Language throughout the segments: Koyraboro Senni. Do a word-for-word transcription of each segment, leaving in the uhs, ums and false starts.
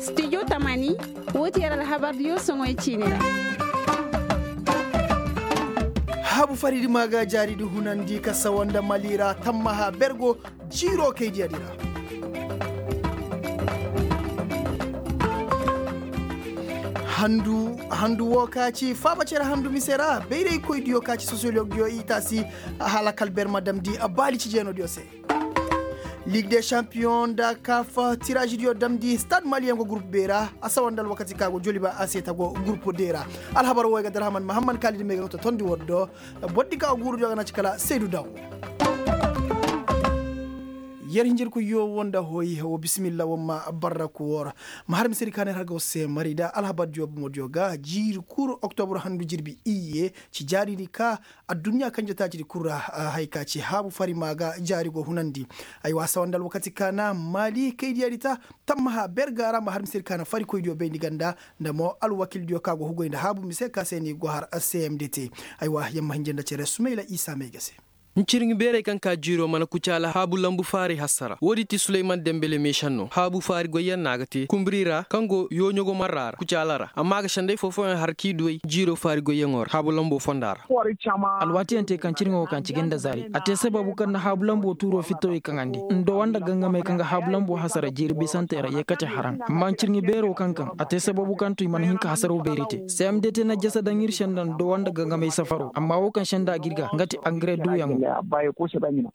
Studio tamani, woo ti yer alhabardiyo soŋoy ciini ra. Haabu faridi maa ga jaaridi hunandi ka sawa nda mali ra tammaha bergo jiiroo kaydiyadi ra. Handu woo ka ci faaba cere handu mise ra bayraykoydiyo ka ci sosiyologdiyo i taasi hala kala ber ma damndi baali cijeenodiyo se. Liig de šampiyoŋ nda kaaf tiraazidiyo damndi stad maliyaŋ go gurup bee ra. A sawa nda alwakati ka go joliba a se ta go gurup de ra. Alhabar woo ay ga darhaman mahamman kaalidi me ga totondi war do. Bordi ka go guurudiyo ga na ci kala saydu daw. Yer hinjirkoyyo woo nda hoy woo bisimilla woo ma barraku woo ra. Ma har misedi ka neer har ga war se mari nda alhabardiyo bomodiyo ga jiiri kul oktobur handu jirbi iyye ci jaaridi ka adduɲɲa kanje taacidi kul ra. Haya ka ci haabu fari maa ga jaari go hunandi. Aywa sawa nda alwakati ka na maali kaydiyadi ta tammaha ber ga ra ma har misedi ka na farikoydiyo bayndi ganda nda mo alwakildiyo ka go hugoy nda haabu mise ka se ni go har cmdt. Aywa yer ma hinja nda cere sumayla isa may ga se. Ncirŋi beerey kaŋ ka jiiro mana kucaala haabu lambu faaray hasara woodi ti suleyman dembele meešanno haabu faari goyyaŋ no a ga te kumburi ra kaŋ go yooɲogo marra ra kucaala ra amma a ga senday foo-fooyaŋ har k'i duw'ey jiiro faari goyyaŋo ra haabu lambo fonda ra. Alwaatiyaŋ te kaŋ cirŋo kaŋ ci ga nda zaari a te sababu kaŋ na haabu lambo tuuro fittawey kaŋandi ndowa nda gangamey kaŋ ga haabu lambo hasara jiiri bisantey ra yeekate haraŋ amma ncirŋi beero kaŋ kaŋ a te sababu kaŋ to i mana hin ka hasaro beeri te. Cmdt na jasa daŋ ir se nda ndowa nda gangamey safaro amma woo kaŋ se nda a g'ir ga nga ti angare duuyaŋo.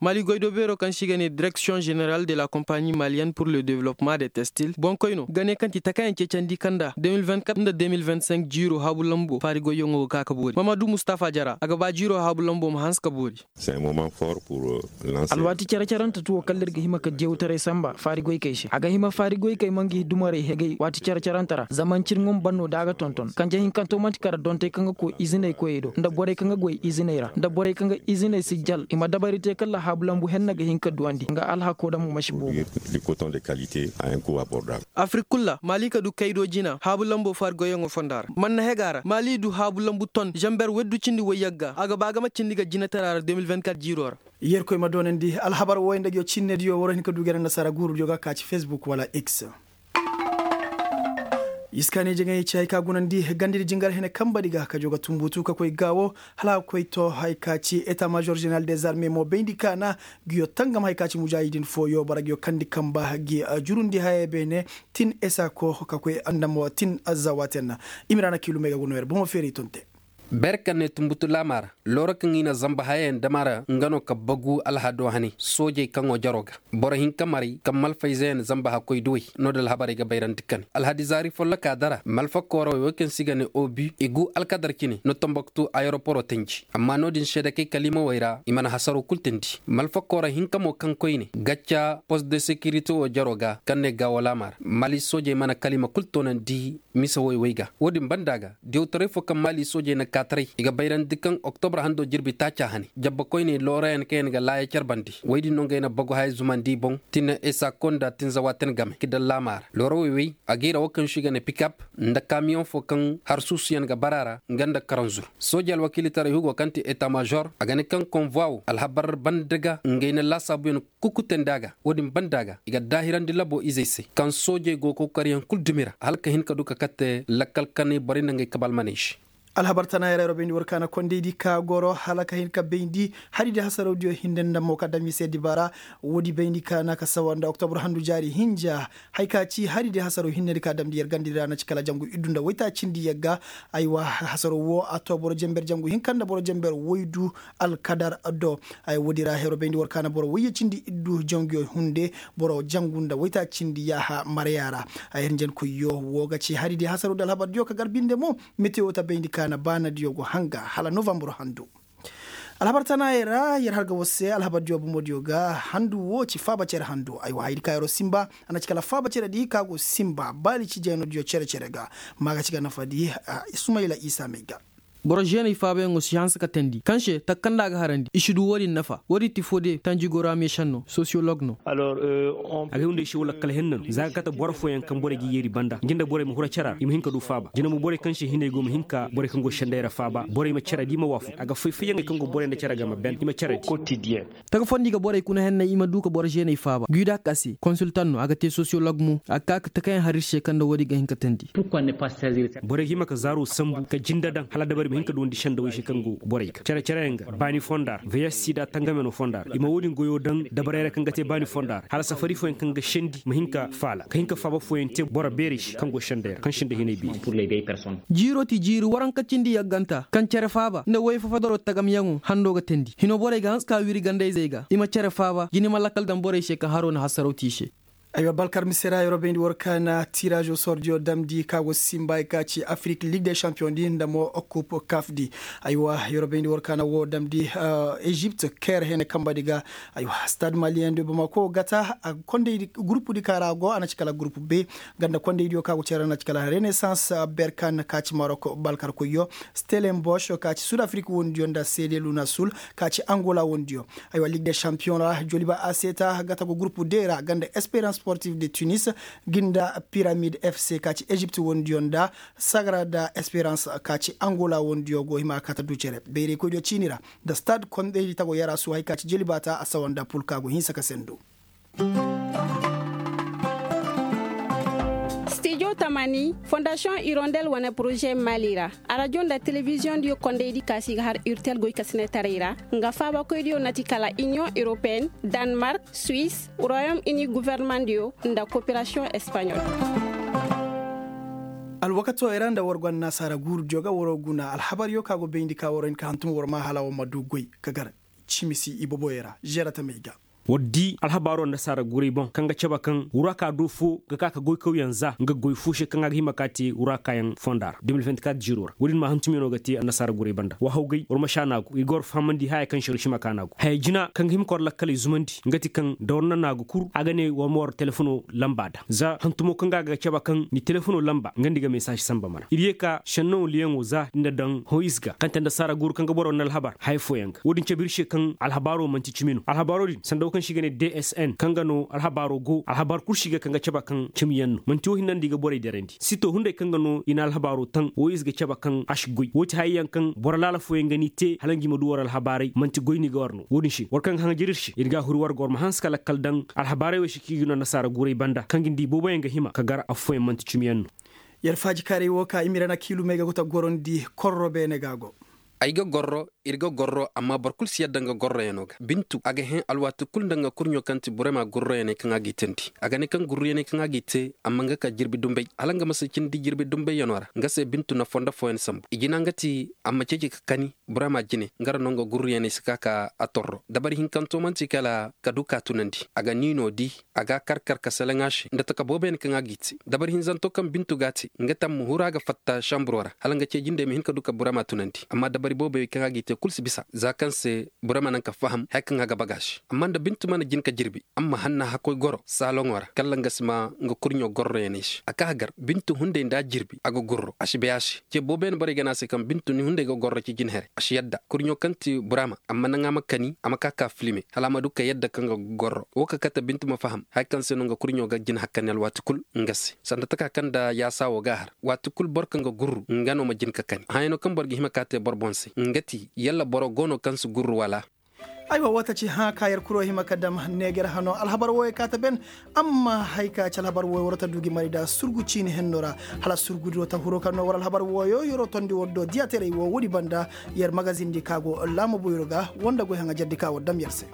Mali goydo beero kaŋ se i ga ne direksiyoŋ ženeral de la kompaɲi maliyenne pur le developpeman de testil boŋkoyno ga ne kaŋ ti takaayaŋ ceecandi kaŋ nda de mil vingt-quatre nda de mil vingt-cinq jiiro haabu lambo faari goyyaŋo ga ka ka boori mamadu mustafa jara a ga ba jiiro haabu lambo ma hanse ka boori. Alwaati care-carante tuwo kala ir ga hima ka diyawtaray samba faari goykey se a ga hima faari goykey ma ngi dumarey hegay waati care-carante ra zama ncirŋo ma ban no da a ga tonton kanje hinkanto man'ti kara dontey kaŋ ga koy iziney koyey do nda borey kaŋ ga goy iziney ra nda borey kaŋ ga iziney si jal i ma dabari te kala haabu lambu henna ga hin ka duwandi nga alhako daŋ mo ma si boobo. Afrik kul ra maali ka du kaydo jina haabu lambo faari goyyaŋo fonda ra man na hega ra maali du haabu lambu ton zamber weddu cindi woy yagga a ga ba ga ma cindi ga jinatara ra de mil vingt-quatre jiiro ra. Yerkoy ma doonandi alhabar wooy nda ngiyo cinnediyo war hin ka du gere nda sara guurudiyo ga ka ci facebook wala x. Iskaani jaŋay ci hay ka gunandi gandidi jingar hene kambadi ga ka joo ga tumbutu ka koy gaawo hala a ga koy to hay ka ci eta major ženeral des armes mo bayndi kaana. Ngiyo tangam hay ka ci mujaahidin fooyo bara ngiyo kandi kamba gi jurundi hayey beene tin esako ka koy nda mo tin zawaten. Imiraana kiilumey ga go no yer bomo feeray tonte. Ber kaŋ ne tumbutu laamaa ra looro kaŋ i na zamba hayayaŋ dam a ra nga no ka bagu alhado hane soojey kaŋo jaroo ga. Boro hinka maray kaŋ malfayze yaŋ zamba hakkoy duwey no-din alhabarey ga bayrandi ka ne alhadi zaari follokaa dara malfa koorowey wey kaŋ se i ga ne obi i gu alkadar cine no tambaktu ayeroporo tanji amma no-din seedekey kaliimawey ra i mana hasaro kul teendi. Malfa kooro hinka mo kaŋ koyne gacca post de sekirite wo jaroo ga kaŋ ne gaawo laamaa ra mali soojey mana kaliima kul toonandi. Mise woy wey ga wo-din banda ga diyawtaray fo kaŋ maali soojey na kaataray i ga bayrandi kaŋ oktobra hando jirbi taaca hane jabba koyney loorayaŋ kaŋ yaŋ ga laaya carbandi woy din no ngey na bagu haya zumandi i boŋ. Tine esa konda tinzawa ten game ki dallaama ra loora woy wey a gayra wo kaŋ se i ga ne pikap nda kamiyoŋ fo kaŋ har suusuyaŋ ga bara ra nga nda karanzur. Sooje alwakiilitaray hugo kaŋ ti eta major a ga ne kaŋ konvwa wo alhabar banda ga ngey na laasaabuyaŋ kukutendi a ga wo-din banda ga i ga daahirandi labo izey se kaŋ soojey go kokariyaŋ kul dumi ra hala ka hin ka du ka kate lakkal kanay borey nda ngey kaba almaney se. Alhabar tana yaray ra bayndi war kaana kondaydi ka goro hala ka hin ka bayndi hari di hasarawdiyo hinne nda mo ka dam i se dibaara. Woodi bayndi kaana ka sawa nda oktobur handu jaari hinja. Hay ka ci hari di hasaraw hinne di ka damndi yer gandidi ra na ci kala jangu iddu nda waytaacindi yagga. Aywa hasaraw wo a to boro jenber jangu hinka nda boro jenber waydu alkadar do. Ay woodi ra hero bayndi war kaana boro wayyacindi iddu janguyo hunde boro jangu nda waytaacindi yaaha maraya ra. Ay hinjankoyyo wo ga ci hari di hasaraw di alhabardiyo ka gar binde mo. Metewo ta bayndi kaana baanadiyo go hanga hala novambar handu. Alhabar tanaayey ra yer har ga war se alhabardiyo bomodiyo ga handu wo ci faaba cere handu aywa hayadi ka yeroo sinba. A na ci kala faaba cere di ka go sinba baali ci jeenodiyo cere-cere ga. Ma ga ci ga nafadi sumayla isa may ga. Boro žeeney faabayaŋo si hanse ka teendi kaŋ se taka kaŋ nda a ga harandi i si du wo-din nafa wo-din ti foo de tanji goro a meesaŋ no sosiyolog no. A ga hunday se wala kala henna no za a ga kate boro fooyaŋ kaŋ borey ga yeeri banda ngi nda borey ma hura cere ra i ma hin ka du faaba jina mo borey kaŋ se hinay go ma hin ka borey kaŋ go senday ra faaba borey ma cere da i ma waafaku a ga fay fayyaŋey kaŋ go borey nda cere ga ma ben i ma cere di. Taga fondi ga borey kuna henney i ma du ka boro žeeney faaba guy da ka se konsultan no a ga te sosiyolog mo a ga ka ka takayaŋ har ir se kaŋ nda wo-din ga hin ka teendi. Borey ga hima ka zaaro sambu ka jinda daŋ hala dabari ma hin ka duwandi sendawey se kaŋ go borey ga cere-cereyaŋ ga baani fonda ra veyes sida tangameno fonda ra i ma wo-din goyo daŋ dabarey ra kaŋ ga te baani fonda ra hala safari fooyaŋ kaŋ ga sendi ma hin ka faala ka hin ka faaba fooyaŋ te boro beerey se kaŋ go sendey ra kaŋ sinda hinay beeri. Jiiro ti jiiri waranka cindi yagganta kaŋ cere faaba nda woy fafadaro tagamyaŋo hando ga teendi hino borey ga hanse ka wiri gandayzey ga i ma cere faaba jina i ma lakkal daŋ borey se kaŋ haro na hasaraw te i se. Aywa balkar mise ra yeroo bayndi war ka na tiraazo sordiyo damndi ka go sinba ay ka ci afirik lig de sanpiyoŋ di nda mo kup kaf di. Aywa yeroo bayndi war ka na woo damndi ezipt ker hene kamba di ga. Aywa stad maliyen di bamako gata a kondey di gurupu di ka ra go a na ci kala gurupu be ganda kondey diyo ka go cere na ci kala renesans berkan ka ci marok balkar koyyo stelen bosh ka ci sud afirik wondiyo nda sede luna sul ka ci angola wondiyo. Aywa lig de sanpiyoŋ ra joliba aseta gata go gurupu de ra ganda esperans sportif de tunis ginda piramid fc ka ci ezipt wondiyo nda sagra da esperans ka ci angola wondiyo go hima kata du cere bayraykoydiyo ciini ra nda stad kondey di tago yarasu hay ka ci joliba ta a sawa nda pul ka go hinsa ka sendu. Stijo tamani fondasiyoŋ irondel wane poroze mali ra arajo nda telebiziyoŋ diyo kondey di ka si ga har irtel goy ka sine taray ra nga faabakoy diyo na ti kala iniyoŋ europeen danmark suwis royom ini guverneman diyo nda koperasiyoŋ espanyol. Alwakato ay ra nda war go annasaara guuru diyo ga waroo guna alhabar yo ka go bayndi ka waroo hin ka hantum war ma hala war ma du goy ka gar cimisi iboboyo ra zera tamey ga. War di alhabaaro nda saara guuray boŋ kaŋ ga cabe kaŋ wuraaka do fo ga ka ka goykawyaŋ za nga goy fo se kaŋ a ga hima ka te wuraakayaŋ fonda ra de mil vingt-quatre jiiro ra wo-din ma hantumyaŋo ga te annasaara guuray banda wa hawgay war ma si a naagu ir ga war fahamandi haya kaŋ se war si hima ka naagu haya jina kaŋ ga hima ka war lakkaley zumandi nga ti kaŋ da war na naagu kul a ga ne war ma war telefono lamba daŋ za hantumo kaŋ ga a ga cabe kaŋ ni telefono lamba nga nda i ga mesaasi samba mana ir ye ka sennaŋo liyaŋo za nda daŋ hoyis ga kaŋ te nda saara guuru kaŋ ga boro nda alhabar haya fooyaŋ ga wo-din cabe ir se kaŋ alhabaaro manti cimi no alhabaaro din sanda wo kaŋ se i ga ne dsn kaŋ ga no alhabaaro go alhabar kul se i ga kaŋ ga cabe kaŋ cimiyaŋ no manti wo hinne nda i ga borey derandi sito hunday kaŋ ga no i na alhabaaro taŋ wo ize ga cabe kaŋ a si goy wo ti hayey yaŋ kaŋ boro laala fooyaŋ ga n'i te hala nga i ma du war alhabaaray manti goy no i ga war no wo-din se war kaŋ ga haŋajer ir se ir ga a huri war ga war ma hanse ka lakkal daŋ alhabaaray wey se kaŋ i ga no annasaara guuray banda kaŋ ga nda i booboyaŋ ga hima ka gar affooyaŋ manti cimiyaŋ no. Yer faajikaaray wo ka imirana kiilumey ga go ta gorondi korro beene ga go. Ay ga gorro ir ga gorro amma boro kul si yadda nga gorroyanoo ga bintu a ga hẽ alwaati kul nda nga kurɲo kaŋ ti burema gurruyaney kaŋ a g'i teendi a ga ne kaŋ gurruyaney kaŋ a g'i te amma nga ka jirbi dumbey hala nga ma si cindi jirbi dumbeyanoo ra nga se bintu na fondo fooyaŋ sambu i jina nga ti a ma ceeci ka kani burema jine nga ra no nga gurruyaney si ka ka a torro dabari hinkanto man'ti kala ka du ka tunandi a ga niinoo di a ga a kar kar ka seleŋ a se nda taka booboyaŋ kaŋ a g'i te dabari hinzanto kaŋ bintu g'a te nga te a ma huru a ga fatta samburo ra hala nga ceejindey ma hin ka du ka burema tunandi amma dabari booboyaŋ kaŋ a g'i te kul si bisa za kaŋ se burema naŋ ka faham haya kaŋ a ga baga se amma nda bintu mana jin ka jirbi a ma hanna hakkoy goro saaloŋo ra kala nga si ma nga kurɲo gorroyaney se a ka hagar bintu hunday nda a jirbi a ga gurro a si bay a se ce booboyaŋ borey ga ne a se kaŋ bintu ni hunday ga gorro ci jinhere a si yadda kurɲo kaŋ ti burema amma naŋ a ma kani a ma ka ka filime hala a ma du ka yadda kaŋ ga gorro wo ka kate bintu ma faham haya kaŋ se no nga kurɲo ga jin hakkani alwaati kul nga se sanda taka kaŋ nda yaasa wo ga a har waati kul boro kaŋ ga gurru nga no ma jin ka kani hayano kaŋ boro ga hima ka te boro boŋ se nga ti yalla boro go no kaŋ si gurru wala. Aywa woo ta ci hã ka yer kuro hima ka dam neeger hano alhabar wooyo ka ta ben. Amma hay ka ci alhabar wooyo war ta du gi mari nda surgu ciini henno ra hala surgu do ta huro kaŋ no war alhabar wooyo yeroo tondi war do diyaterey woo woodi banda. Yer magazin di ka go laama boyro ga war nda goy haŋa jardi ka war dam yer se.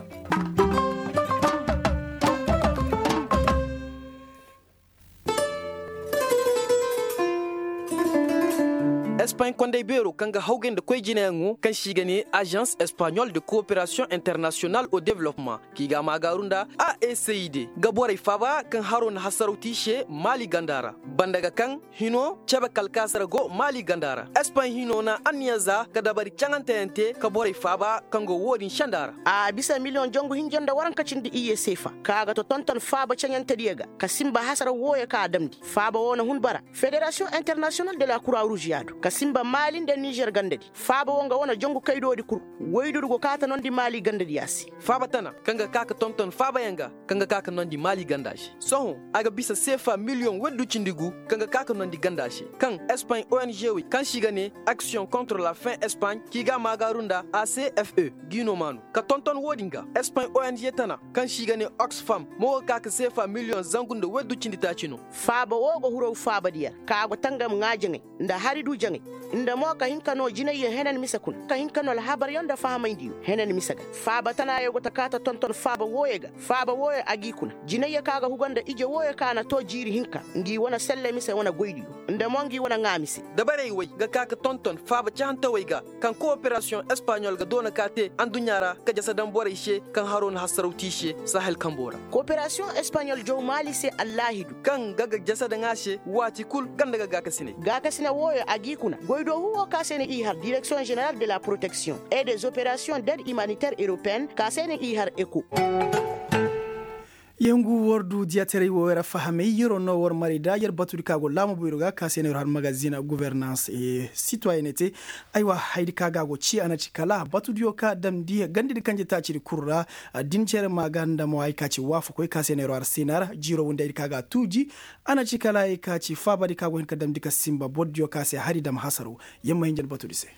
Espagne kondey beero kaŋ ga hawgay nda koy jinayaŋo kaŋ se i ga ne agence espagnole de coopération internationale au développement, kaŋ i ga a maagaaru nda a e c i d, ga borey faaba kaŋ haro na hasaraw te i se maali ganda ra. Banda ga kaŋ hino cebe kalkaasa ra go maali ganda ra. Espagne hino na anniya za ka dabari caŋanteyaŋ te ka borey faaba kaŋ go wo-din senda ra. A bisa miliyoŋ jongu hinja nda waranka cindi iyye seefa kaŋ a ga to tonton faaba caŋantediyo ga ka sinba hasara wooyo kaŋ a damndi faaba woo na hun bara. Fédération internationale de la croix rouge ya do ka Simba maali nda nizer gandadi faaba wo nga wane jongu kaydoodi kul. Woydudu go kaata nondi maali gandadiya se. Faaba tana kaŋ ga ka ka tonton faabayaŋ ga kaŋ ga ka ka nondi maali ganda se. Sohõ a ga bisa seefa miliyoŋ woydu cindi gu kaŋ ga ka ka nondi ganda se, kaŋ espaɲ ong wey kaŋ se i ga ne aksiyoŋ kontra la fin espaɲ k'i ga a maagaaru nda a c f e. G'i no maanu ka tonton wo-din ga espaɲ ong tana kaŋ se i ga ne oxfam mo ga ka ka seefa miliyoŋ zangu nda woydu cindi taaci no. Faaba wo ga huraw faabadi yer ka go tangam ŋaa jaŋay nda hari du jaŋay, nda mo ka hin ka no jinayyo henan mise kuna ka hin ka no alhabaryo nda fahamaydiyo henan mise ga. Faaba tanaayo go ta kaata tonton faaba wooyo ga faaba wooyo a g'i kuna jinayyo ka ga huga nda ije wooyo ka na too jiiri hinka ngi wane selle mise wane goydiyo nda mo ngi wane ŋaa mise. Dabarey wey ga ka ka tonton faaba cahantawey ga kaŋ kooperasiyoŋ espaɲol ga doona ka te adduɲɲa ra ka jasa daŋ borey se kaŋ haro na hassaraw te i se sahel kambo ra. Kooperasiyoŋ espaɲol jaw maali se allaahidu kaŋ ga ga jasa daŋ a se waati kul ganda ga gaakasine. Gaakasine wooyo a g'i kuna goydoo huuwo ka se na i har direksiyoŋ ženeral de la poroteksiyoŋ e de zoperasiyoŋ ded imaniter europeen ka se na i har eko. Yengu war du diyataray wo yer fahamay yeroo no war maray da yer batudi ka go laama boyro ga ka se no yer har magazin guvernans sitoyenete. Aywa haydi ka ga go ci a na ci kala batudiyo ka damndi gandadi kanje taacidi kul ra. Din cere ma ga nda mo hay ka ci waafakoy ka se no yer har sinar jiiro windi haydi ka ga tuuji. A na ci kala hay ka ci faabadi ka go hin ka damndi ka simba bordiyo ka se hari dam hasaro. Yer ma hin jandi batudi se.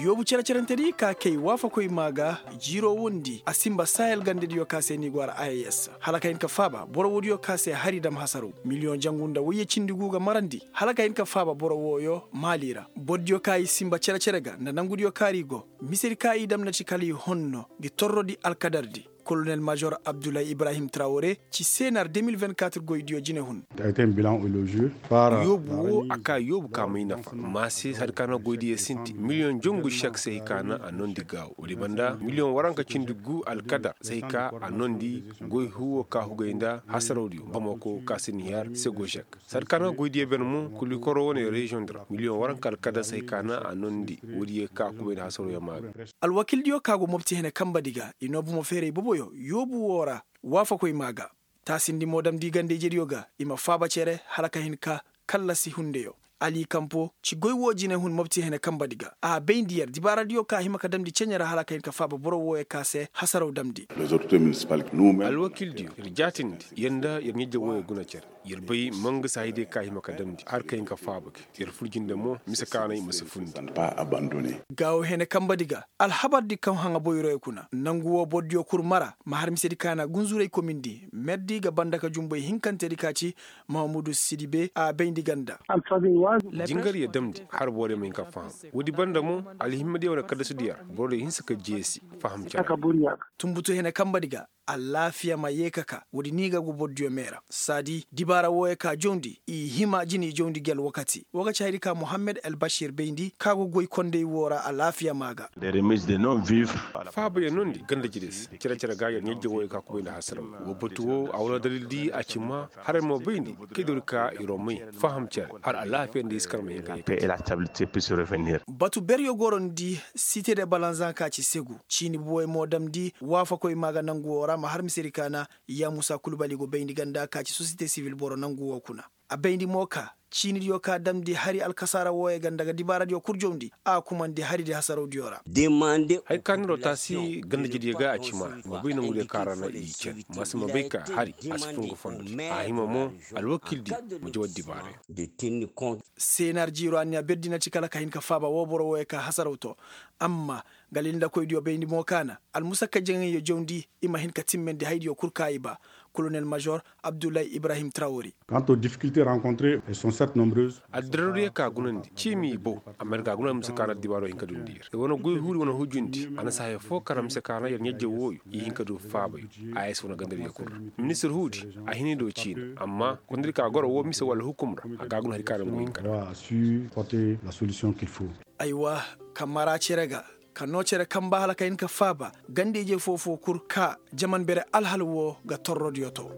Yoobu cere-cerentedi ka kay waafakoy maa ga jiiroo wondi a simba sahel gandediyo ka se ni go ara a s hala ka hin ka faaba boro woodiyo ka se hari dam hasaraw miliyoŋ jangu nda wayye cindi gu ga marandi hala ka hin ka faaba boro wooyo maali ra bordiyo ka i simba cere-cere ga nda nangudiyo kaari go. Misedi ka i dam na ci kala i honno ngi torrodi alkadardi. Kolonel major abdullahi ibrahim trawore ci seenar deux mille vingt-quatre goydiyo jinehun. Yoobu wo a ka yoobu ka may nafa maase hari ka na goydiyo sinti miliyoŋ jongu sek se hay ka na a nondi gaawo woodi banda miliyoŋ waranka cindi gu alkadar se hay ka a nondi goy huwo ka hugay nda hasarawdiyo bamako ka sinihar sego sek. Sarkana goydiyo ben mo kulikoro wane reziyoŋ di ra miliyoŋ waranka alkadar se hay ka na a nondi woodiyo ka kubay nda hasarawdiyo maaga. Alwakildiyo ka go mopti hene kambadi ga i no bomo feeray boboyo yoobu woo ra. Waafakoy maa ga taasindi mo damndi ganda-ijediyo ga i ma faaba cere hala ka hin ka kallasi hundeyo. Ali kampo ci goy woo jinehun mopti hene kambadi ga a bayndi yer dibaaradiyo ka hima ka damndi ceɲe ra hala ka hin ka faaba boro wooyo ka se hasaraw damndi. Alwakildiyo ir jaatindi yer nda yer ɲajja wooyo guna cere. Yer bay mangasa haydiyo ka hima ka damndi har ka hin ka faaba ga yer fur jinde mo mise ka na i ma si fundi. Gaawo hene kambadi ga alhabardi kaŋ haŋa boyroyo kuna nangu woo bordiyo kul mara ma har misedi ka na gunzuray komindi merdi ga banda ka jumbay hinkantedi ka ci mahamudu sidibe a bayndi ganda. Jingaryo damndi har borodiyo ma hin ka faham woodi banda mo alhimmadiyo wane kaddasudiyo ra borodiyo hinsa ka jeesi faham cere. Tunbutu hene kambadi ga alaafiya ma yee ka ka woodi ni ga go bordiyo mee ra saadi dibaara wooyo ka jawndi i hima jini jawndi gi alwakati woo ga ci hayadi ka muhammed albashir bayndi ka go goy konday woo ra alaafiya maa ga. Faabayo nondi ganda jidis cere-cere ga yer ɲajja wooyo ka kubay nda hasaraw woo batu woo a wane dalildi a ci maa haray mo bayndi kay doori ka ir wa may faham cere har alaafiya nda i si kar ma hin ka yee. Batu beryo gorondi site de balanzan ka ci segu ciini buwey mo damndi waafakoy maa ga nangu woo ra ma har misedi ka na yaamusa kulbali go bayndi ganda ka ci sosiyete sivil boro nangu woo kuna. A bayndi mo ka ciinidiyo ka damndi hari alkasaara wooyey ganda ga dibaaradiyo kul jawndi a kumandi haridi hasarawdiyo ra. Hay ka niroo taasi ganda jidiyo ga a ci maa ma bay nangudiyo ka ra na i cere ma si ma bay ka hari a si fun ga fondo a hima mo alwakildi ma jawar dibaarayo. Seenar jiiro anniya berdi na ci kala ka hin ka faaba woo boro wooyo ka hasaraw to. Amma galilndakoydiyo bayndi mo ka na almusakka jaŋayyo jawndi i ma hin ka timmandi haydiyo kul ka i ba. Kolonel major abdullahi ibrahim trawori. Addirardiyo ka gunandi ciimi i bow. Amma ir ga a guna mise ka na addibaaro hin ka dundi ir ir wane goy huuri wane hujundi a na si haya foo kara mise ka na yer ɲajje wooyo i hin ka du faabayo. A s wane gandariyo kul ra ministir huudi a hin i do ciina amma gonda ir ka goro woo mise wala hukum ra a ga a guna hari ka na mo hin ka da. Aywa, ka mara cere ga ka noo cere kamba hala ka hin ka faaba ganda-ije foo-foo kul ka jaman bere alhal woo ga torrodiyo to.